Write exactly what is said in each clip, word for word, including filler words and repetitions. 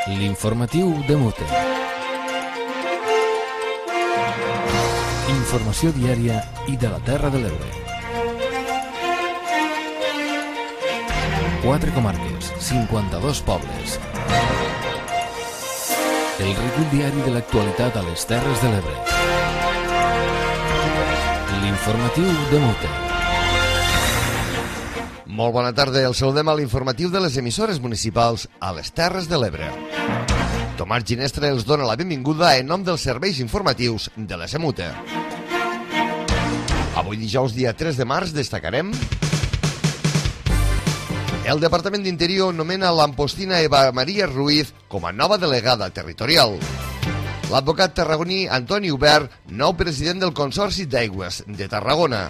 L'informatiu de Mute. Informació diària i de la Terra de l'Ebre. Quatre comarques, cinquanta-dos pobles. El recull diari de l'actualitat a les Terres de l'Ebre. L'informatiu de Mute. Molt bona tarda, el saludem a l'informatiu de les emissores municipals a les Terres de l'Ebre. Tomàs Ginestra els dona la benvinguda en nom dels serveis informatius de la Semute. Avui dijous, dia tres de març, destacarem: el Departament d'Interior nomena l'ampostina Eva Maria Ruiz com a nova delegada territorial. L'advocat tarragoní Antoni Hubert, nou president del Consorci d'Aigües de Tarragona.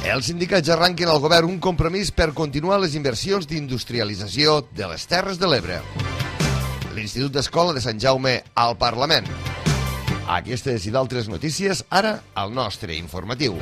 Els sindicats arranquen al govern un compromís per continuar les inversions d'industrialització de les Terres de l'Ebre. L'Institut d'Escola de Sant Jaume al Parlament. Aquestes i d'altres notícies, ara al nostre informatiu.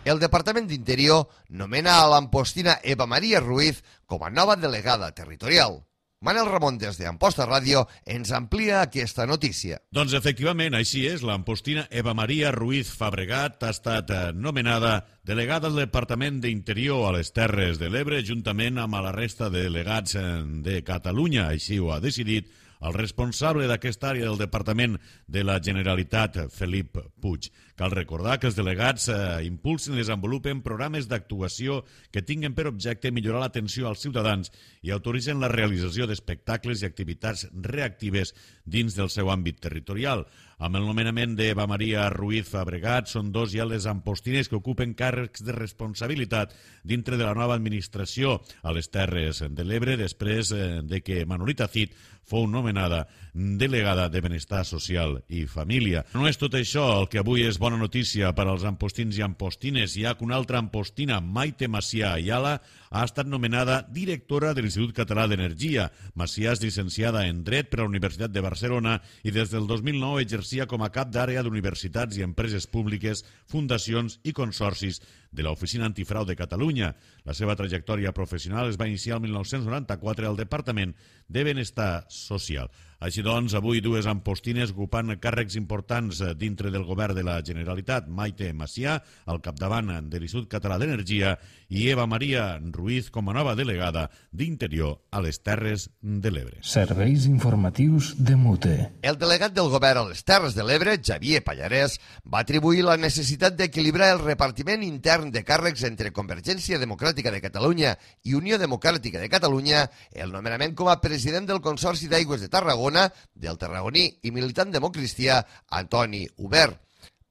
El Departament d'Interior nomena a l'ampostina Eva Maria Ruiz com a nova delegada territorial. Manel Ramon, des d'Amposta Ràdio, ens amplia aquesta notícia. Doncs efectivament, així és. L'ampostina Eva Maria Ruiz Fabregat ha estat nomenada delegada del Departament d'Interior a les Terres de l'Ebre, juntament amb la resta de delegats de Catalunya. Així ho ha decidit el responsable d'aquesta àrea del Departament de la Generalitat, Felip Puig. Cal recordar que els delegats eh, impulsen i desenvolupen programes d'actuació que tinguen per objecte millorar l'atenció als ciutadans i autoritzen la realització d'espectacles i activitats reactives dins del seu àmbit territorial. Amb el nomenament d'Eva Maria Ruiz Fabregat són dos ja les ampostines que ocupen càrrecs de responsabilitat dintre de la nova administració a les Terres de l'Ebre, després eh, de que Manolita Cid fou nomenada delegada de Benestar Social i Família. No és tot això el que avui és bona notícia per als ampostins i ampostines, ja que una altra ampostina, Maite Macià Ayala, ha estat nomenada directora de l'Institut Català d'Energia. Macià és llicenciada en Dret per la Universitat de Barcelona i des del dos mil nou exercia com a cap d'àrea d'universitats i empreses públiques, fundacions i consorcis de l'Oficina Antifrau de Catalunya. La seva trajectòria professional es va iniciar el mil nou-cents noranta-quatre al Departament de Benestar Social. Així doncs, avui dues ampostines ocupant càrrecs importants dintre del govern de la Generalitat, Maite Macià, al capdavant de l'Institut Català d'Energia, i Eva Maria Ruiz com a nova delegada d'Interior a les Terres de l'Ebre. Serveis informatius de Mute. El delegat del govern a les Terres de l'Ebre, Xavier Pallarès, va atribuir la necessitat d'equilibrar el repartiment intern de càrrecs entre Convergència Democràtica de Catalunya i Unió Democràtica de Catalunya, el nomenament com a president del Consorci d'Aigües de Tarragona del tarragoní i militant democristià Antoni Hubert.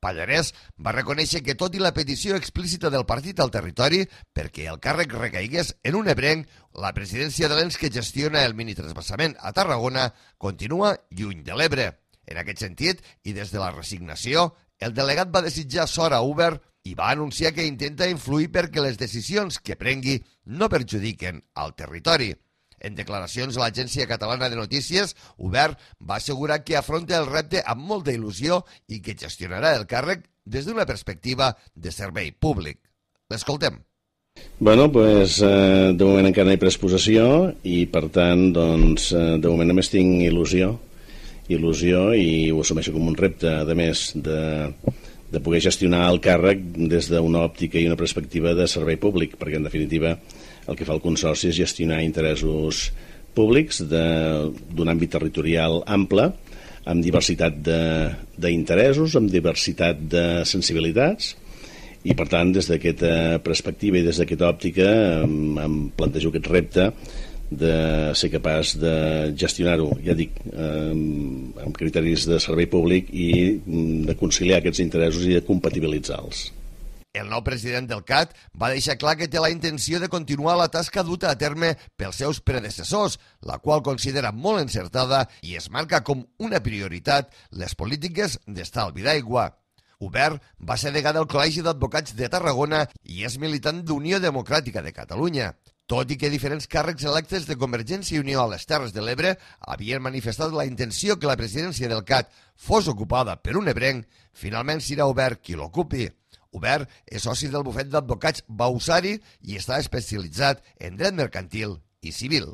Pallarès va reconèixer que, tot i la petició explícita del partit al territori perquè el càrrec recaigués en un ebrenc, la presidència de l'ens que gestiona el minitransvasament a Tarragona continua lluny de l'Ebre. En aquest sentit, i des de la resignació, el delegat va desitjar sort a Hubert i va anunciar que intenta influir perquè les decisions que prengui no perjudiquen al territori. En declaracions a l'Agència Catalana de Notícies, Hubert va assegurar que afronta el repte amb molta il·lusió i que gestionarà el càrrec des d'una perspectiva de servei públic. L'escoltem. Bueno, pues, eh, de moment encara no hi pres possessió i, per tant, doncs, eh, de moment només tinc il·lusió, il·lusió i ho assumeixo com un repte, a més de, de poder gestionar el càrrec des d'una òptica i una perspectiva de servei públic, perquè, en definitiva, el que fa el Consorci és gestionar interessos públics d'un àmbit territorial ample, amb diversitat d'interessos, amb diversitat de sensibilitats, i per tant, des d'aquesta perspectiva i des d'aquesta òptica em, em plantejo aquest repte de ser capaç de gestionar-ho, ja dic, amb, amb criteris de servei públic i de conciliar aquests interessos i de compatibilitzar-los. El nou president del C A T va deixar clar que té la intenció de continuar la tasca duta a terme pels seus predecessors, la qual considera molt encertada i es marca com una prioritat les polítiques d'estalvi d'aigua. Hubert va ser degà del Col·legi d'Advocats de Tarragona i és militant d'Unió Democràtica de Catalunya. Tot i que diferents càrrecs electes de Convergència i Unió a les Terres de l'Ebre havien manifestat la intenció que la presidència del C A T fos ocupada per un ebrenc, finalment serà Hubert qui l'ocupi. Hubert és soci del bufet d'advocats Bausari i està especialitzat en dret mercantil i civil.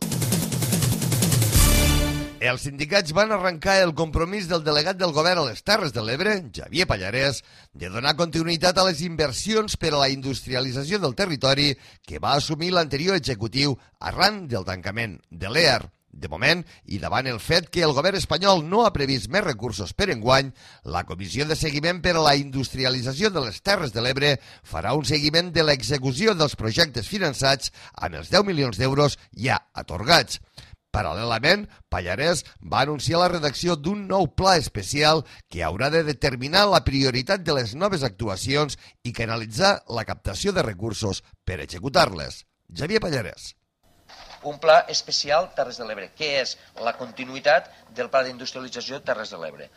Els sindicats van arrencar el compromís del delegat del govern a les Terres de l'Ebre, Xavier Pallarès, de donar continuïtat a les inversions per a la industrialització del territori que va assumir l'anterior executiu arran del tancament de l'E A R. De moment, i davant el fet que el govern espanyol no ha previst més recursos per enguany, la Comissió de Seguiment per a la Industrialització de les Terres de l'Ebre farà un seguiment de l'execució dels projectes finançats amb els deu milions d'euros ja atorgats. Paral·lelament, Pallarès va anunciar la redacció d'un nou pla especial que haurà de determinar la prioritat de les noves actuacions i canalitzar la captació de recursos per executar-les. Xavier Pallarès. Un pla especial Terres de l'Ebre, que és la continuïtat del pla d'industrialització Terres de l'Ebre.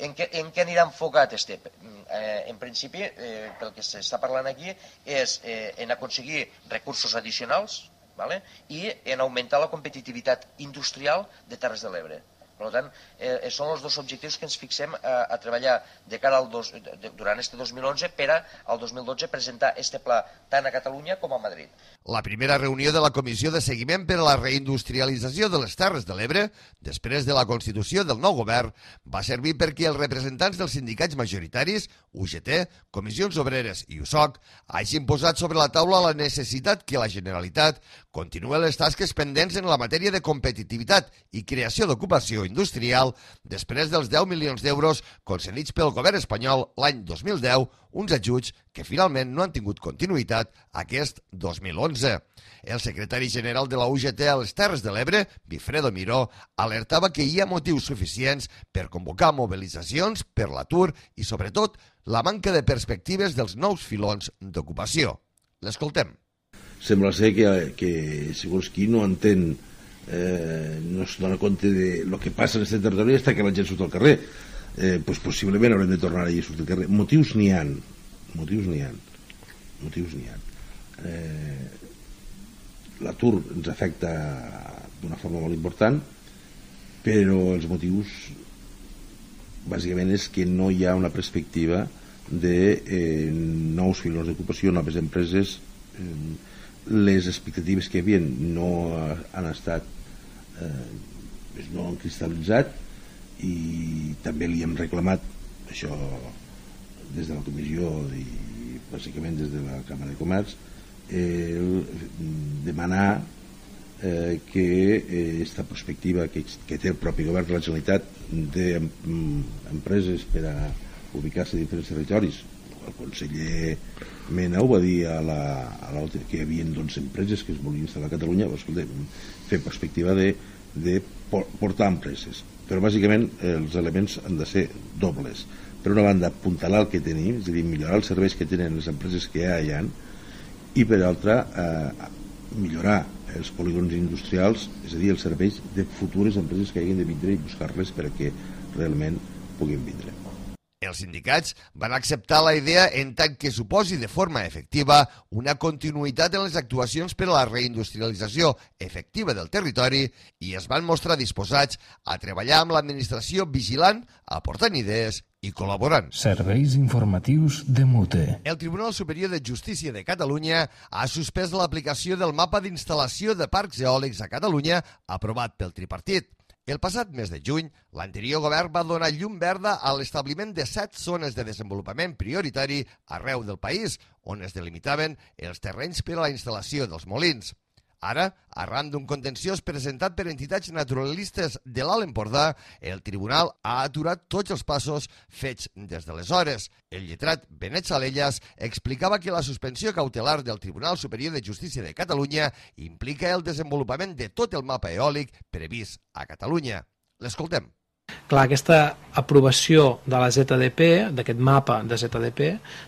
En què, en què anirà enfocat este? Eh, en principi, eh, pel que s'està parlant aquí, és eh, en aconseguir recursos addicionals, ¿vale? I en augmentar la competitivitat industrial de Terres de l'Ebre. Per tant, eh, són els dos objectius que ens fixem a, a treballar de cara al dos, de, durant este dos mil onze per a al dos mil dotze presentar este pla tant a Catalunya com a Madrid. La primera reunió de la Comissió de Seguiment per a la Reindustrialització de les Terres de l'Ebre, després de la constitució del nou govern, va servir perquè els representants dels sindicats majoritaris, U G T, Comissions Obreres i U S O C, hagin posat sobre la taula la necessitat que la Generalitat continuï les tasques pendents en la matèria de competitivitat i creació d'ocupació industrial després dels deu milions d'euros concedits pel govern espanyol l'any dos mil deu, uns ajuts que finalment no han tingut continuïtat aquest dos mil onze. El secretari general de la U G T a les Terres de l'Ebre, Bifredo Miró, alertava que hi ha motius suficients per convocar mobilitzacions per l'atur i, sobretot, la manca de perspectives dels nous filons d'ocupació. L'escoltem. Sembla ser que, que segons qui no entén, eh, no es dona compte de lo que passa en aquest territori està que la gent surt al carrer. Eh, pues possiblement haurem de tornar a ir a sortir al carrer. Motius n'hi ha. Motius n'hi ha. Motius n'hi ha. Eh, L'atur ens afecta d'una forma molt important, però els motius bàsicament és que no hi ha una perspectiva de eh, nous filons d'ocupació, noves empreses. Eh, les expectatives que hi havia no han estat eh, no han cristal·litzat, i també li hem reclamat això des de la comissió i bàsicament des de la Càmera de Comerç, el demanar eh, que aquesta eh, perspectiva que, que té el propi govern de la Generalitat d'empreses per a ubicar-se en diferents territoris. El conseller Mena ho va dir a la, a la, que hi havia doncs, empreses que es volien instal·lar a Catalunya. Escolta, fer perspectiva de, de portar empreses, però bàsicament els elements han de ser dobles. Per una banda, apuntalar el que tenim, és a dir, millorar els serveis que tenen les empreses que ja hi ha, i per altra, eh, millorar els polígons industrials, és a dir, els serveis de futures empreses que hagin de vindre i buscar-les perquè realment puguin vindre. Els sindicats van acceptar la idea en tant que suposi de forma efectiva una continuïtat en les actuacions per a la reindustrialització efectiva del territori i es van mostrar disposats a treballar amb l'administració vigilant, aportant idees i col·laborant. Serveis informatius de Mute. El Tribunal Superior de Justícia de Catalunya ha suspès l'aplicació del mapa d'instal·lació de parcs eòlics a Catalunya aprovat pel tripartit. El passat mes de juny, l'anterior govern va donar llum verda a l'establiment de set zones de desenvolupament prioritari arreu del país, on es delimitaven els terrenys per a la instal·lació dels molins. Ara, arran d'un contenciós presentat per entitats naturalistes de l'Alt Empordà, el tribunal ha aturat tots els passos fets des d'aleshores. El lletrat Benet Salellas explicava que la suspensió cautelar del Tribunal Superior de Justícia de Catalunya implica el desenvolupament de tot el mapa eòlic previst a Catalunya. L'escoltem. Clar, aquesta aprovació de la Z D P, d'aquest mapa de Z D P,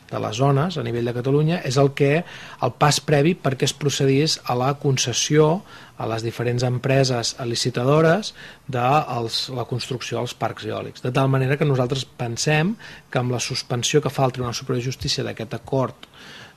de les zones a nivell de Catalunya, és el que el pas previ perquè es procedís a la concessió a les diferents empreses licitadores de els, la construcció dels parcs eòlics. De tal manera que nosaltres pensem que amb la suspensió que fa el Tribunal Superior de Justícia d'aquest acord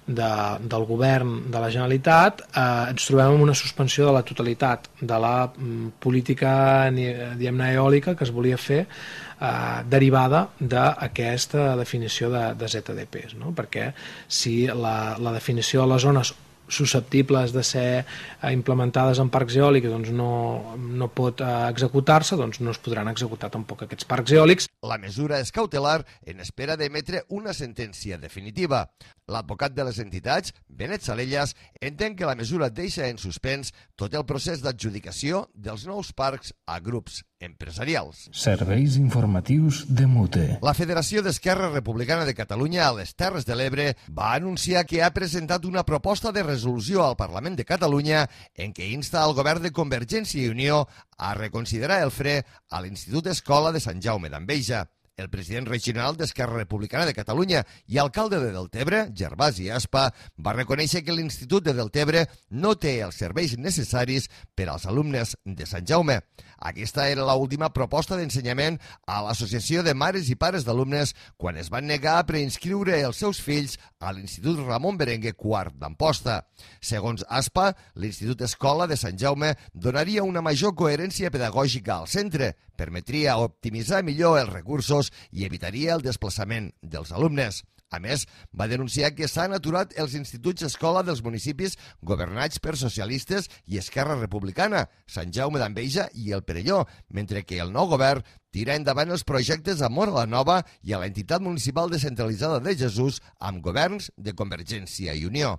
de, del govern de la Generalitat, eh, ens trobem amb una suspensió de la totalitat de la mm, política diguem-ne eòlica que es volia fer eh, derivada d'aquesta definició de, de Z D Ps, no? Perquè si la, la definició de les zones susceptibles de ser implementades en parcs eòlics doncs no, no pot executar-se, doncs no es podran executar tampoc aquests parcs eòlics. La mesura és cautelar en espera d'emetre una sentència definitiva. L'advocat de les entitats, Benet Salellas, entén que la mesura deixa en suspens tot el procés d'adjudicació dels nous parcs a grups empresarials. Serveis informatius de Mute. La Federació d'Esquerra Republicana de Catalunya a les Terres de l'Ebre va anunciar que ha presentat una proposta de resolució al Parlament de Catalunya en què insta al govern de Convergència i Unió a reconsiderar el fre a l'Institut Escola de Sant Jaume d'Enveja. El president regional d'Esquerra Republicana de Catalunya i alcalde de Deltebre, Gervasi Aspa, va reconèixer que l'Institut de Deltebre no té els serveis necessaris per als alumnes de Sant Jaume. Aquesta era l'última proposta d'ensenyament a l'Associació de Mares i Pares d'Alumnes quan es van negar a preinscriure els seus fills a l'Institut Ramon Berenguer quart d'Amposta. Segons Aspa, l'Institut Escola de Sant Jaume donaria una major coherència pedagògica al centre, permetria optimitzar millor els recursos i evitaria el desplaçament dels alumnes. A més, va denunciar que s'han aturat els instituts escola dels municipis governats per socialistes i Esquerra Republicana, Sant Jaume d'Enveja i el Perelló, mentre que el nou govern tira endavant els projectes a Móra la Nova i a l'entitat municipal descentralitzada de Jesús amb governs de Convergència i Unió.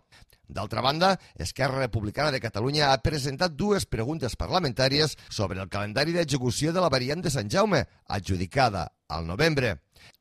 D'altra banda, Esquerra Republicana de Catalunya ha presentat dues preguntes parlamentàries sobre el calendari d'execució de la variant de Sant Jaume, adjudicada al novembre.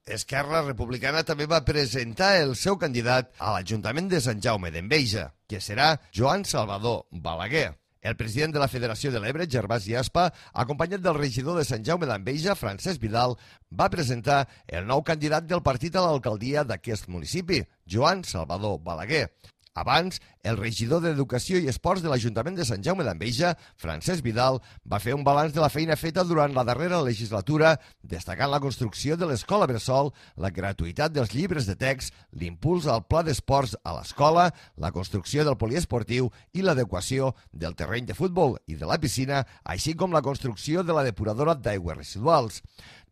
Esquerra Republicana també va presentar el seu candidat a l'Ajuntament de Sant Jaume d'Enveja, que serà Joan Salvador Balaguer. El president de la Federació de l'Ebre, Gervasi Aspa, acompanyat del regidor de Sant Jaume d'Enveja, Francesc Vidal, va presentar el nou candidat del partit a l'alcaldia d'aquest municipi, Joan Salvador Balaguer. Abans, el regidor d'Educació i Esports de l'Ajuntament de Sant Jaume d'Enveja, Francesc Vidal, va fer un balanç de la feina feta durant la darrera legislatura, destacant la construcció de l'escola Bressol, la gratuïtat dels llibres de text, l'impuls al pla d'esports a l'escola, la construcció del poliesportiu i l'adequació del terreny de futbol i de la piscina, així com la construcció de la depuradora d'aigües residuals.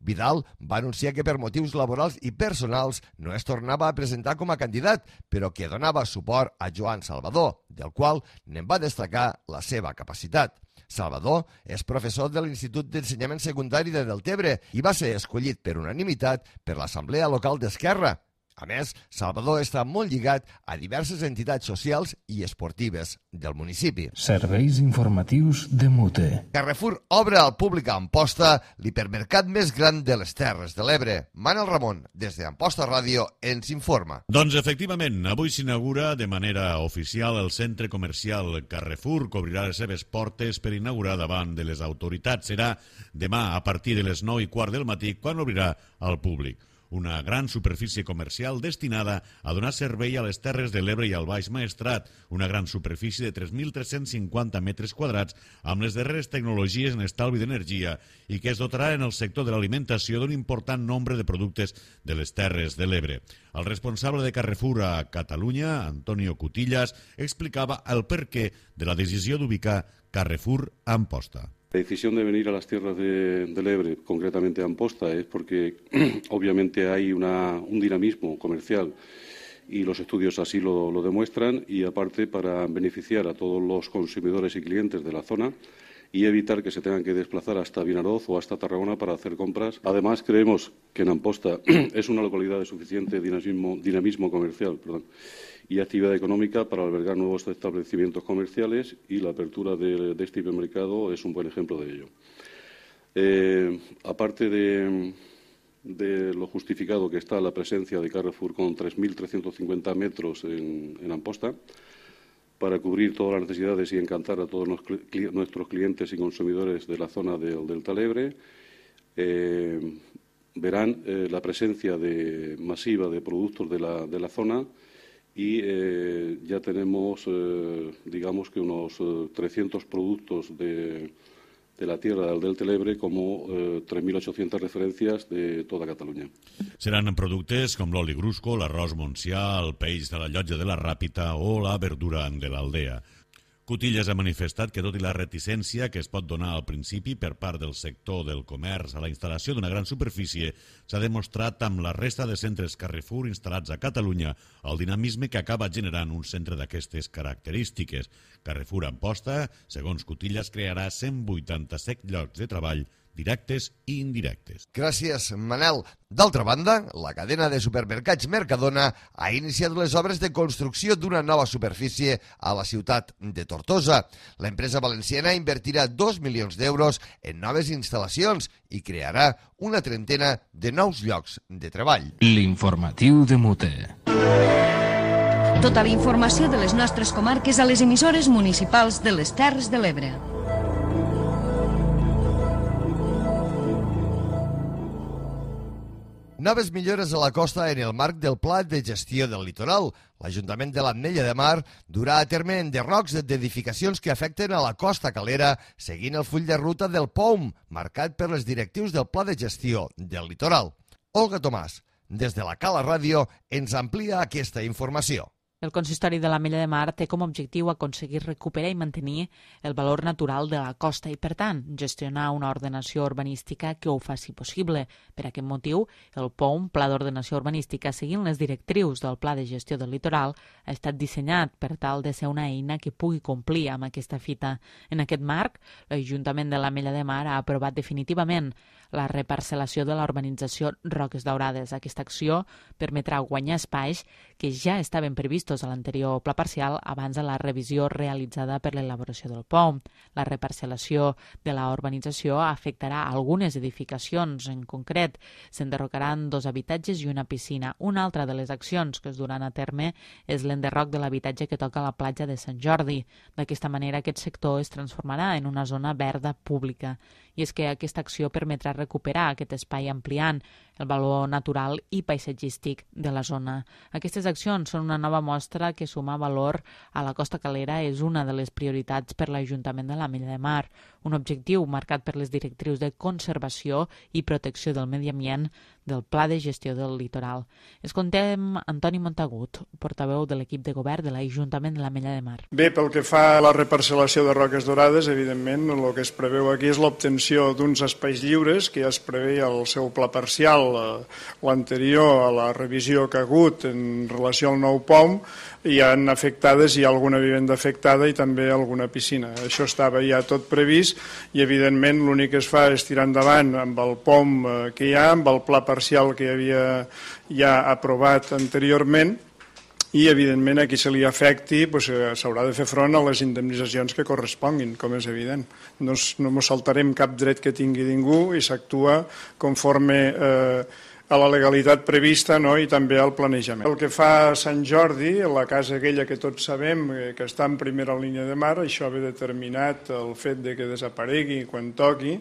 Vidal va anunciar que per motius laborals i personals no es tornava a presentar com a candidat, però que donava suport a Joan Salvador, del qual n'en va destacar la seva capacitat. Salvador és professor de l'Institut d'Ensenyament Secundari de Deltebre i va ser escollit per unanimitat per l'Assemblea Local d'Esquerra. A més, Salvador està molt lligat a diverses entitats socials i esportives del municipi. Serveis informatius de Mute. Carrefour obre al públic a Amposta l'hipermercat més gran de les Terres de l'Ebre. Manel Ramon, des d'Amposta Ràdio, ens informa. Doncs efectivament, avui s'inaugura de manera oficial el centre comercial Carrefour, que obrirà les seves portes per inaugurar davant de les autoritats. Serà demà a partir de les nou i quart del matí quan obrirà al públic. Una gran superfície comercial destinada a donar servei a les Terres de l'Ebre i al Baix Maestrat, una gran superfície de tres mil tres-cents cinquanta metres quadrats amb les darreres tecnologies en estalvi d'energia i que es dotarà en el sector de l'alimentació d'un important nombre de productes de les Terres de l'Ebre. El responsable de Carrefour a Catalunya, Antonio Cutillas, explicava el perquè de la decisió d'ubicar Carrefour a Amposta. La decisión de venir a las tierras de, del Ebre, concretamente a Amposta, es porque obviamente hay una, un dinamismo comercial y los estudios así lo, lo demuestran, y aparte para beneficiar a todos los consumidores y clientes de la zona y evitar que se tengan que desplazar hasta Vinaroz o hasta Tarragona para hacer compras. Además, creemos que en Amposta es una localidad de suficiente dinamismo, dinamismo comercial, perdón, y actividad económica para albergar nuevos establecimientos comerciales, y la apertura de, de este hipermercado es un buen ejemplo de ello. Eh, aparte de, de lo justificado que está la presencia de Carrefour con tres mil trescientos cincuenta metros en, en Amposta, para cubrir todas las necesidades y encantar a todos nuestros clientes y consumidores de la zona del Delta Ebre, eh, verán eh, la presencia de, masiva de productos de la, de la zona. Y eh, ya tenemos, eh, digamos que unos eh, trescientos productos de, de la tierra del Delta del Ebre como eh, tres mil ochocientas referencias de toda Catalunya. Seran productes com l'oli grusco, l'arròs Montsià, el peix de la llotja de la Ràpita o la verdura de l'Aldea. Cotillas ha manifestat que, tot i la reticència que es pot donar al principi per part del sector del comerç a la instal·lació d'una gran superfície, s'ha demostrat amb la resta de centres Carrefour instal·lats a Catalunya el dinamisme que acaba generant un centre d'aquestes característiques. Carrefour Amposta, segons Cotillas, crearà cent vuitanta-set llocs de treball directes i indirectes. Gràcies, Manel. D'altra banda, la cadena de supermercats Mercadona ha iniciat les obres de construcció d'una nova superfície a la ciutat de Tortosa. L'empresa valenciana invertirà dos milions d'euros en noves instal·lacions i crearà una trentena de nous llocs de treball. L'informatiu de Mute. Tota la informació de les nostres comarques a les emissores municipals de les Terres de l'Ebre. Noves millores a la costa en el marc del Pla de Gestió del Litoral. L'Ajuntament de l'Ametlla de Mar durà a terme enderrocs d'edificacions que afecten a la costa calera, seguint el full de ruta del P O M, marcat per les directius del Pla de Gestió del Litoral. Olga Tomàs, des de la Cala Ràdio, ens amplia aquesta informació. El Consistori de l'Ametlla de Mar té com a objectiu aconseguir recuperar i mantenir el valor natural de la costa i, per tant, gestionar una ordenació urbanística que ho faci possible. Per aquest motiu, el P O M, Pla d'Ordenació Urbanística, seguint les directrius del Pla de Gestió del Litoral, ha estat dissenyat per tal de ser una eina que pugui complir amb aquesta fita. En aquest marc, l'Ajuntament de l'Ametlla de Mar ha aprovat definitivament la reparcel·lació de la urbanització Roques Daurades. Aquesta acció permetrà guanyar espais que ja estaven previstos a l'anterior pla parcial abans de la revisió realitzada per l'elaboració del P O M. La reparcel·lació de la urbanització afectarà algunes edificacions. En concret, s'enderrocaran dos habitatges i una piscina. Una altra de les accions que es duran a terme és l'enderroc de l'habitatge que toca a la platja de Sant Jordi. D'aquesta manera, aquest sector es transformarà en una zona verda pública. I és que aquesta acció permetrà recuperar aquest espai ampliant el valor natural i paisatgístic de la zona. Aquestes accions són una nova mostra que sumar valor a la costa calera és una de les prioritats per l'Ajuntament de l'Ametlla de Mar, un objectiu marcat per les directrius de conservació i protecció del medi ambient del Pla de Gestió del Litoral. Escoltem Antoni Montagut, portaveu de l'equip de govern de l'Ajuntament de l'Ametlla de Mar. Bé, pel que fa a la reparcel·lació de Roques Daurades, evidentment el que es preveu aquí és l'obtenció d'uns espais lliures que ja es preveia el seu pla parcial, l'anterior a la revisió que ha hagut en relació al nou P O M. Hi ha afectades, hi ha alguna vivenda afectada i també alguna piscina. Això estava ja tot previst i, evidentment, l'únic que es fa és tirar endavant amb el P O M que hi ha, amb el pla parcial que hi havia ja aprovat anteriorment i, evidentment, a qui se li afecti doncs, s'haurà de fer front a les indemnitzacions que corresponguin, com és evident. No, no ens saltarem cap dret que tingui ningú i s'actua conforme eh, a la legalitat prevista, no? I també al planejament. El que fa a Sant Jordi, la casa aquella que tots sabem que està en primera línia de mar, això ve determinat el fet de que desaparegui quan toqui,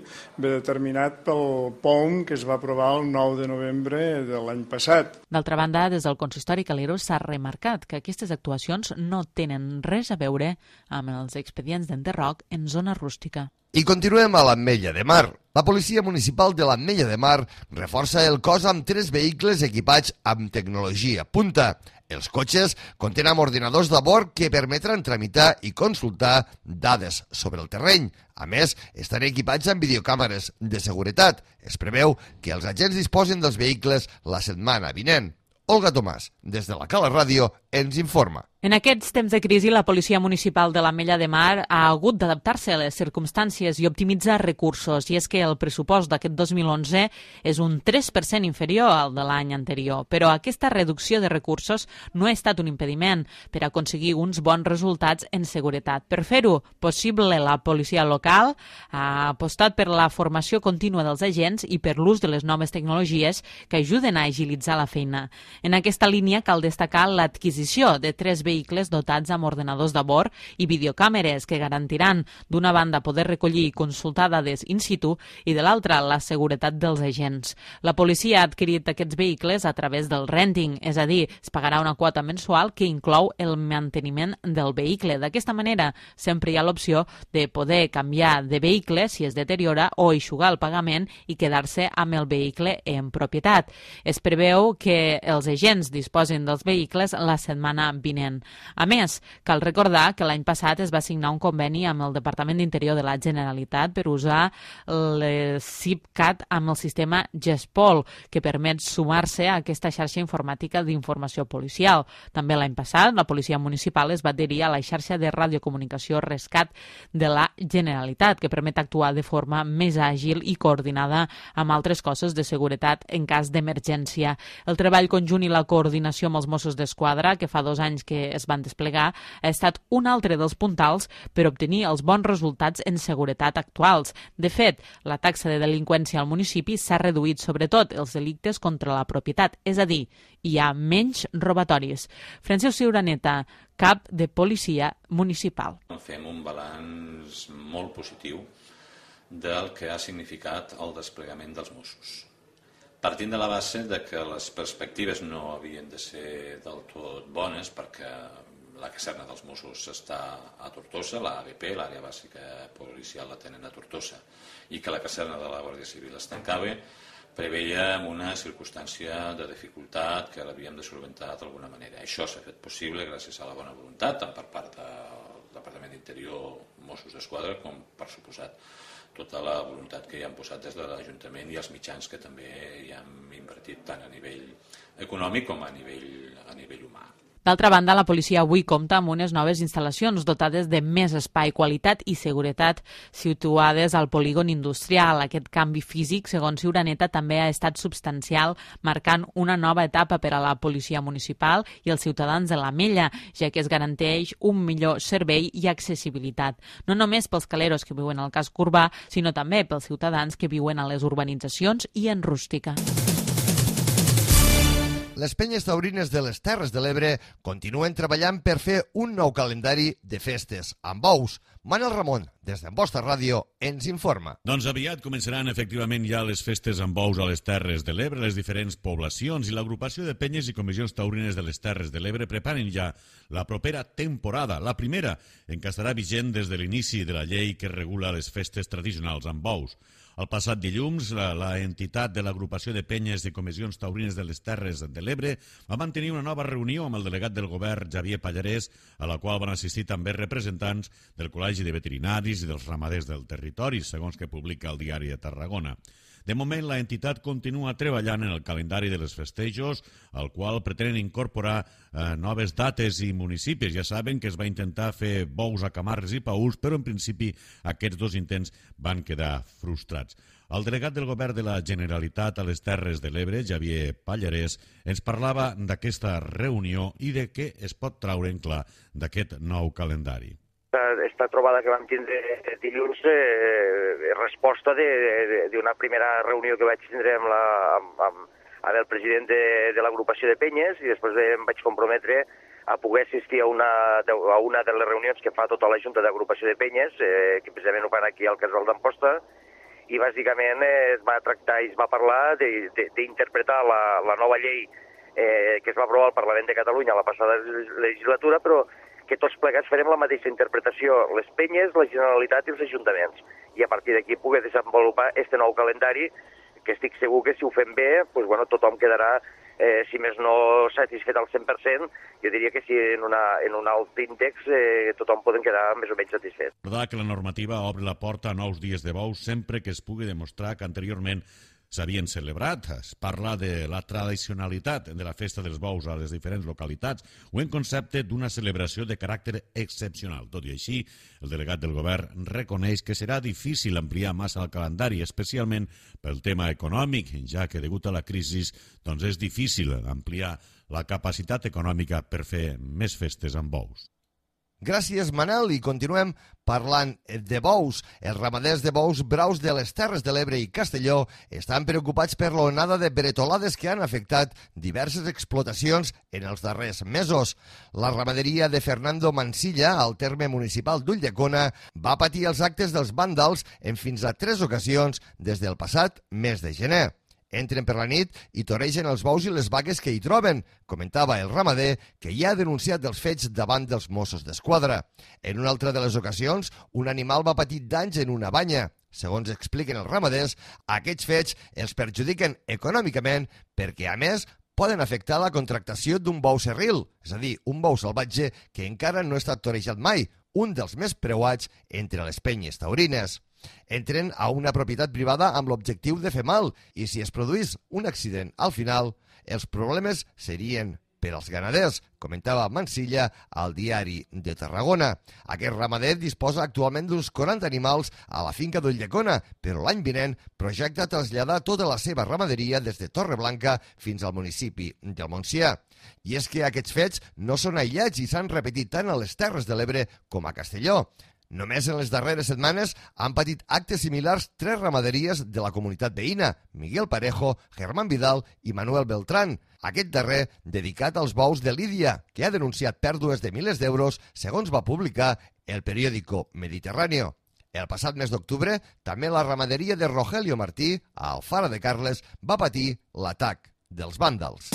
ve determinat pel P O M que es va aprovar el nou de novembre de l'any passat. D'altra banda, des del Consistori Calero s'ha remarcat que aquestes actuacions no tenen res a veure amb els expedients d'enderroc en zona rústica. I continuem a l'Ametlla de Mar. La Policia Municipal de l'Ametlla de Mar reforça el cos amb tres vehicles equipats amb tecnologia punta. Els cotxes contenen ordinadors de bord que permetran tramitar i consultar dades sobre el terreny. A més, estan equipats amb videocàmeres de seguretat. Es preveu que els agents disposen dels vehicles la setmana vinent. Olga Tomàs, des de la Cala Ràdio, ens informa. En aquests temps de crisi, la Policia Municipal de l'Ametlla de Mar ha hagut d'adaptar-se a les circumstàncies i optimitzar recursos. I és que el pressupost d'aquest dos mil onze és un tres per cent inferior al de l'any anterior. Però aquesta reducció de recursos no ha estat un impediment per aconseguir uns bons resultats en seguretat. Per fer-ho possible, la policia local ha apostat per la formació contínua dels agents i per l'ús de les noves tecnologies que ajuden a agilitzar la feina. En aquesta línia cal destacar l'adquisició de tres vehicles dotats amb ordenadors de bord i videocàmeres que garantiran, d'una banda, poder recollir i consultar dades in situ i, de l'altra, la seguretat dels agents. La policia ha adquirit aquests vehicles a través del renting, és a dir, es pagarà una quota mensual que inclou el manteniment del vehicle. D'aquesta manera, sempre hi ha l'opció de poder canviar de vehicle si es deteriora o eixugar el pagament i quedar-se amb el vehicle en propietat. Es preveu que els agents disposin dels vehicles la setmana vinent. A més, cal recordar que l'any passat es va signar un conveni amb el Departament d'Interior de la Generalitat per usar el SIPCAT amb el sistema GESPOL, que permet sumar-se a aquesta xarxa informàtica d'informació policial. També l'any passat, la policia municipal es va adherir a la xarxa de radiocomunicació Rescat de la Generalitat, que permet actuar de forma més àgil i coordinada amb altres cossos de seguretat en cas d'emergència. El treball conjunt i la coordinació amb els Mossos d'Esquadra, que fa dos anys que es van desplegar, ha estat un altre dels puntals per obtenir els bons resultats en seguretat actuals. De fet, la taxa de delinqüència al municipi s'ha reduït, sobretot els delictes contra la propietat, és a dir, hi ha menys robatoris. Francesc Ciuraneta, cap de policia municipal. Fem un balanç molt positiu del que ha significat el desplegament dels Mossos. Partint de la base de que les perspectives no havien de ser del tot bones, perquè la caserna dels Mossos està a Tortosa, l'A B P, l'àrea bàsica policial, la tenen a Tortosa, i que la caserna de la Guàrdia Civil es tancava, preveia una circumstància de dificultat que l'havíem de solventar d'alguna manera. Això s'ha fet possible gràcies a la bona voluntat, tant per part del Departament d'Interior, Mossos d'Esquadra, com, per suposat, tota la voluntat que hi han posat des de l'Ajuntament i els mitjans que també hi han invertit tant a nivell econòmic com a nivell, a nivell humà. D'altra banda, la policia avui compta amb unes noves instal·lacions dotades de més espai, qualitat i seguretat situades al polígon industrial. Aquest canvi físic, segons Ciuraneta, també ha estat substancial, marcant una nova etapa per a la policia municipal i els ciutadans de l'Ametlla, ja que es garanteix un millor servei i accessibilitat. No només pels caleros que viuen al casc urbà, sinó també pels ciutadans que viuen a les urbanitzacions i en rústica. Les penyes taurines de les Terres de l'Ebre continuen treballant per fer un nou calendari de festes amb bous. Manel Ramon, des d'Amposta Ràdio, ens informa. Doncs aviat començaran efectivament ja les festes amb bous a les Terres de l'Ebre, les diferents poblacions, i l'agrupació de penyes i comissions taurines de les Terres de l'Ebre preparen ja la propera temporada, la primera, en què estarà vigent des de l'inici de la llei que regula les festes tradicionals amb bous. El passat dilluns, la, la entitat de l'agrupació de penyes i comissions taurines de les Terres de l'Ebre va mantenir una nova reunió amb el delegat del govern, Xavier Pallarès, a la qual van assistir també representants del Col·legi de Veterinaris i dels ramaders del territori, segons que publica el Diari de Tarragona. De moment, la entitat continua treballant en el calendari de les festejos, al qual pretenen incorporar eh, noves dates i municipis. Ja saben que es va intentar fer bous a Camarles i Paüls, però en principi aquests dos intents van quedar frustrats. El delegat del govern de la Generalitat a les Terres de l'Ebre, Xavier Pallarès, ens parlava d'aquesta reunió i de què es pot traure en clar d'aquest nou calendari. Esta trobada que vam tindre dilluns eh, resposta d'una primera reunió que vaig tindre amb, la, amb, amb, amb el president de, de l'agrupació de penyes, i després em vaig comprometre a poder assistir a una, a una de les reunions que fa tota la Junta d'Agrupació de Penyes, eh, que precisament ho fan aquí al Casal d'Amposta, i bàsicament eh, es va tractar i es va parlar d'interpretar la, la nova llei eh, que es va aprovar al Parlament de Catalunya la passada legislatura, però que tots plegats farem la mateixa interpretació, les penyes, la Generalitat i els ajuntaments. I a partir d'aquí poder desenvolupar aquest nou calendari, que estic segur que si ho fem bé, pues, bueno, tothom quedarà, eh, si més no satisfet al cent per cent, jo diria que si en, una, en un alt índex eh, tothom poden quedar més o menys satisfet. Recordar que la normativa obre la porta a nous dies de bous sempre que es pugui demostrar que anteriorment s'havien celebrat. Es parla de la tradicionalitat de la festa dels bous a les diferents localitats o en concepte d'una celebració de caràcter excepcional. Tot i així, el delegat del govern reconeix que serà difícil ampliar massa el calendari, especialment pel tema econòmic, ja que degut a la crisi doncs és difícil ampliar la capacitat econòmica per fer més festes amb bous. Gràcies, Manel, i continuem parlant de bous. Els ramaders de bous braus de les Terres de l'Ebre i Castelló estan preocupats per l'onada de bretolades que han afectat diverses explotacions en els darrers mesos. La ramaderia de Fernando Mansilla, al terme municipal d'Ulldecona, va patir els actes dels vàndals en fins a tres ocasions des del passat mes de gener. Entren per la nit i toregen els bous i les vaques que hi troben, comentava el ramader, que ja ha denunciat els fets davant dels Mossos d'Esquadra. En una altra de les ocasions, un animal va patir danys en una banya. Segons expliquen els ramaders, aquests fets els perjudiquen econòmicament perquè, a més, poden afectar la contractació d'un bou serril, és a dir, un bou salvatge que encara no ha estat torejat mai, un dels més preuats entre les penyes taurines. Entren a una propietat privada amb l'objectiu de fer mal i si es produís un accident al final, els problemes serien per als ganaders, comentava Mansilla al Diari de Tarragona. Aquest ramader disposa actualment d'uns quaranta animals a la finca d'Ulldecona, però l'any vinent projecta traslladar tota la seva ramaderia des de Torreblanca fins al municipi del Montsià. I és que aquests fets no són aïllats i s'han repetit tant a les Terres de l'Ebre com a Castelló. Només en les darreres setmanes han patit actes similars tres ramaderies de la comunitat veïna, Miguel Parejo, Germán Vidal i Manuel Beltrán, aquest darrer dedicat als bous de Lídia, que ha denunciat pèrdues de milers d'euros, segons va publicar el periòdico Mediterráneo. El passat mes d'octubre, també la ramaderia de Rogelio Martí, a Alfara de Carles, va patir l'atac dels vàndals.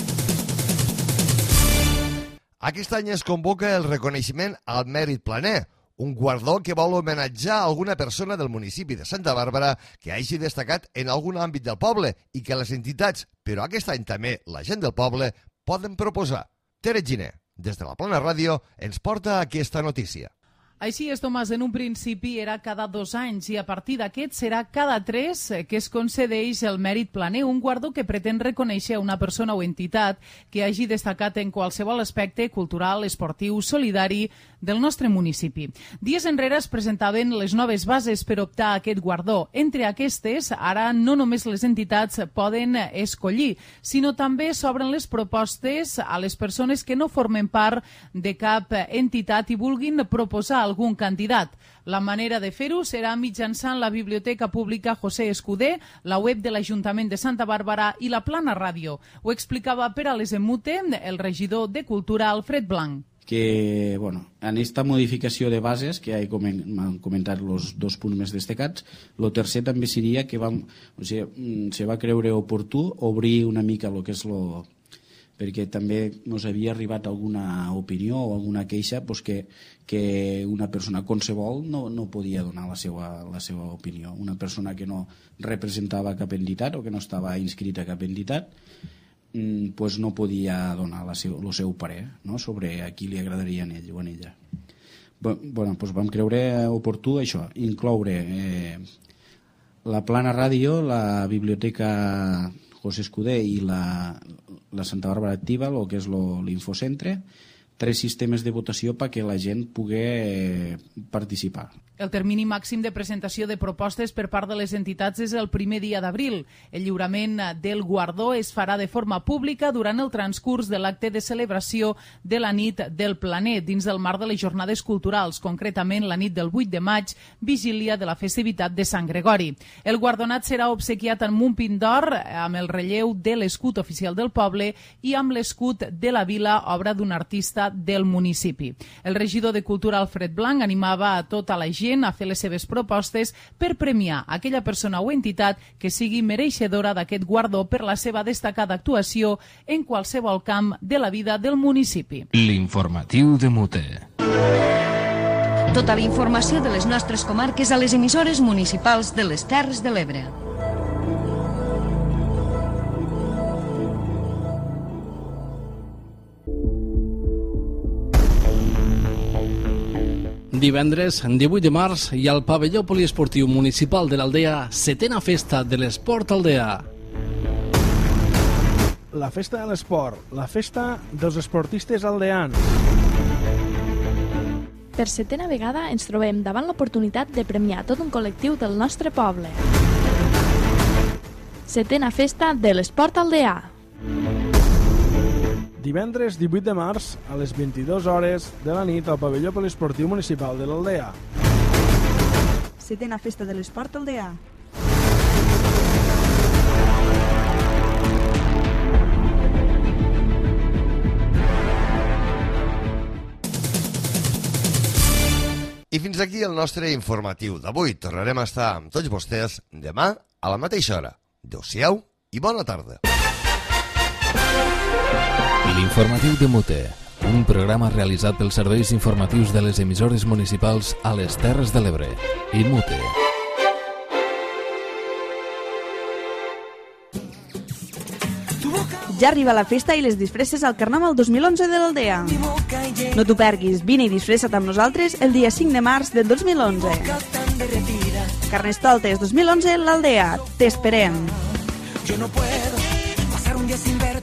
Aquest any es convoca el reconeixement al mèrit planer, un guardó que vol homenatjar alguna persona del municipi de Santa Bàrbara que hagi destacat en algun àmbit del poble i que les entitats, però aquest any també la gent del poble, poden proposar. Tere Giner, des de la Plana Ràdio, ens porta aquesta notícia. Així és, Tomàs, en un principi era cada dos anys i a partir d'aquest serà cada tres que es concedeix el mèrit planer, un guardó que pretén reconèixer una persona o entitat que hagi destacat en qualsevol aspecte cultural, esportiu, solidari del nostre municipi. Dies enrere es presentaven les noves bases per optar a aquest guardó. Entre aquestes, ara no només les entitats poden escollir, sinó també s'obren les propostes a les persones que no formen part de cap entitat i vulguin proposar algun candidat. La manera de fer-ho serà mitjançant la Biblioteca Pública José Escudé, la web de l'Ajuntament de Santa Bàrbara i la Plana Ràdio. Ho explicava per a les Emute el regidor de Cultura, Alfred Blanc. Que, bueno, en esta modificació de bases, que ja m'han comentat els dos punts més destacats, el tercer també seria que vam, o sigui, se va creure oportú obrir una mica el que és lo, perquè també ens havia arribat alguna opinió o alguna queixa pues, que, que una persona qualsevol no, no podia donar la seva, la seva opinió. Una persona que no representava cap entitat o que no estava inscrita a cap entitat pues no podia donar el seu, seu parer, no? Sobre a qui li agradaria en ell o en ella. Bueno, pues vam creure oportú això, incloure eh, la Plana Ràdio, la Biblioteca José Escudé i la, la Santa Bàrbara Activa, el que és l'Infocentre, tres sistemes de votació perquè la gent pugui eh, participar. El termini màxim de presentació de propostes per part de les entitats és el primer dia d'abril. El lliurament del guardó es farà de forma pública durant el transcurs de l'acte de celebració de la nit del planer, dins del marc de les jornades culturals, concretament la nit del vuit de maig, vigília de la festivitat de Sant Gregori. El guardonat serà obsequiat amb un pin d'or amb el relleu de l'escut oficial del poble i amb l'escut de la vila, obra d'un artista del municipi. El regidor de Cultura, Alfred Blanc, animava a tota la gent a fer les seves propostes per premiar aquella persona o entitat que sigui mereixedora d'aquest guardó per la seva destacada actuació en qualsevol camp de la vida del municipi. L'informatiu de Mute. Tota la informació de les nostres comarques a les emissores municipals de les Terres de l'Ebre. Divendres, divuit de març, hi ha al pavelló poliesportiu municipal de l'Aldea setena festa de l'esport Aldea. La festa de l'esport, la festa dels esportistes aldeans. Per setena vegada ens trobem davant l'oportunitat de premiar tot un col·lectiu del nostre poble. Setena festa de l'esport aldeà. divendres divuit de març a les vint-i-dues hores de la nit al pavelló poliesportiu municipal de l'Aldea. Setena Festa de l'Esport Aldea. I fins aquí el nostre informatiu d'avui. Tornarem a estar amb tots vostès demà a la mateixa hora. Adéu-siau i bona tarda. L'informatiu de Mute, un programa realitzat pels serveis informatius de les emissores municipals a les Terres de l'Ebre i Mute. Ja arriba la festa i les disfresses al Carnaval dos mil onze de l'Aldea. No t'ho perguis, vine i disfressa't amb nosaltres el dia cinc de març del dos mil onze. Carnestoltes dos mil onze, l'Aldea. T'esperem. Yo no puedo pasar un día sin ver